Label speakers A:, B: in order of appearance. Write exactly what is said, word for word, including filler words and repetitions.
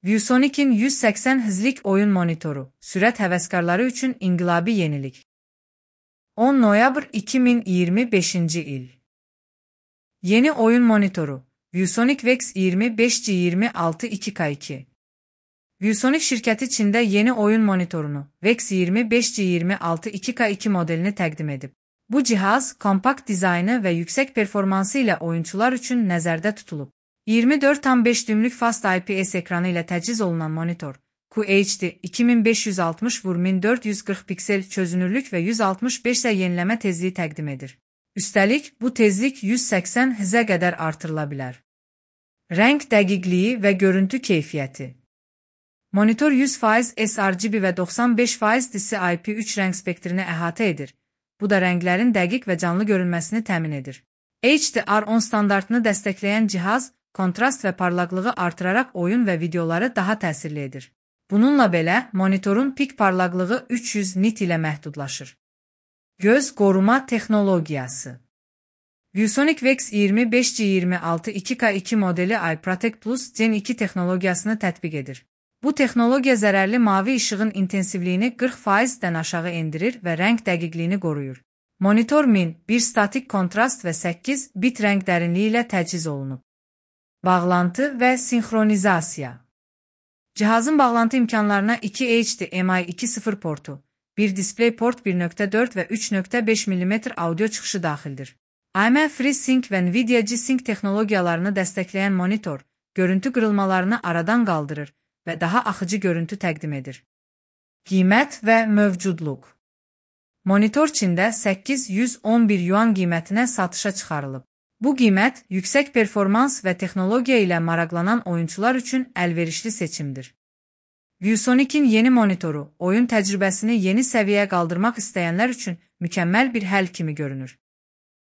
A: ViewSonic'in yüz səksən hizlik oyun monitoru, sürət həvəskarları üçün inqilabi yenilik. on noyabr iki min iyirmi beşinci il. Yeni oyun monitoru, ViewSonic Vex iyirmi beş G iyirmi altı iki K iki. ViewSonic şirkəti Çində yeni oyun monitorunu, Vex iyirmi beş G iyirmi altı iki K iki modelini təqdim edib. Bu cihaz, kompakt dizaynı və yüksək performansı ilə oyunçular üçün nəzərdə tutulub. iyirmi dörd tam beş düymlük Fast I P S ekranı ilə təchiz olunan monitor, Q H D iki min beş yüz altmış vur min dörd yüz qırx piksel çözünürlük və yüz altmış beş S yeniləmə tezliyi təqdim edir. Üstəlik, bu tezlik yüz səksən Hz-ə qədər artırıla bilər. Rəng dəqiqliyi və görüntü keyfiyyəti. Monitor yüz faiz sRGB və doxsan beş faiz D C I P üç rəng spektrini əhatə edir. Bu da rənglərin dəqiq və canlı görünməsini təmin edir. H D R on standartını dəstəkləyən cihaz, kontrast və parlaqlığı artıraraq oyun və videoları daha təsirli edir. Bununla belə, monitorun pik parlaqlığı üç yüz nit ilə məhdudlaşır. Göz qoruma texnologiyası. ViewSonic Vex iyirmi beş G iyirmi altı iki K iki modeli Eye Protect Plus Gen iki texnologiyasını tətbiq edir. Bu texnologiya zərərli mavi işığın intensivliyini qırx faizdən aşağı endirir və rəng dəqiqliyini qoruyur. Monitor min, bir statik kontrast və səkkiz bit rəng dərinliyi ilə təchiz olunub. Bağlantı və sinxronizasiya. Cihazın bağlantı imkanlarına iki H D M I iki nöqtə sıfır portu, bir DisplayPort bir nöqtə dörd və üç nöqtə beş millimetr audio çıxışı daxildir. A M D FreeSync və Nvidia G-Sync texnologiyalarını dəstəkləyən monitor, görüntü qırılmalarını aradan qaldırır və daha axıcı görüntü təqdim edir. Qiymət və mövcudluq. Monitor Çində səkkiz yüz on bir yuan qiymətinə satışa çıxarılıb. Bu qiymət, yüksək performans və texnologiya ilə maraqlanan oyunçular üçün əlverişli seçimdir. ViewSonic'in yeni monitoru, oyun təcrübəsini yeni səviyyəyə qaldırmaq istəyənlər üçün mükəmməl bir həll kimi görünür.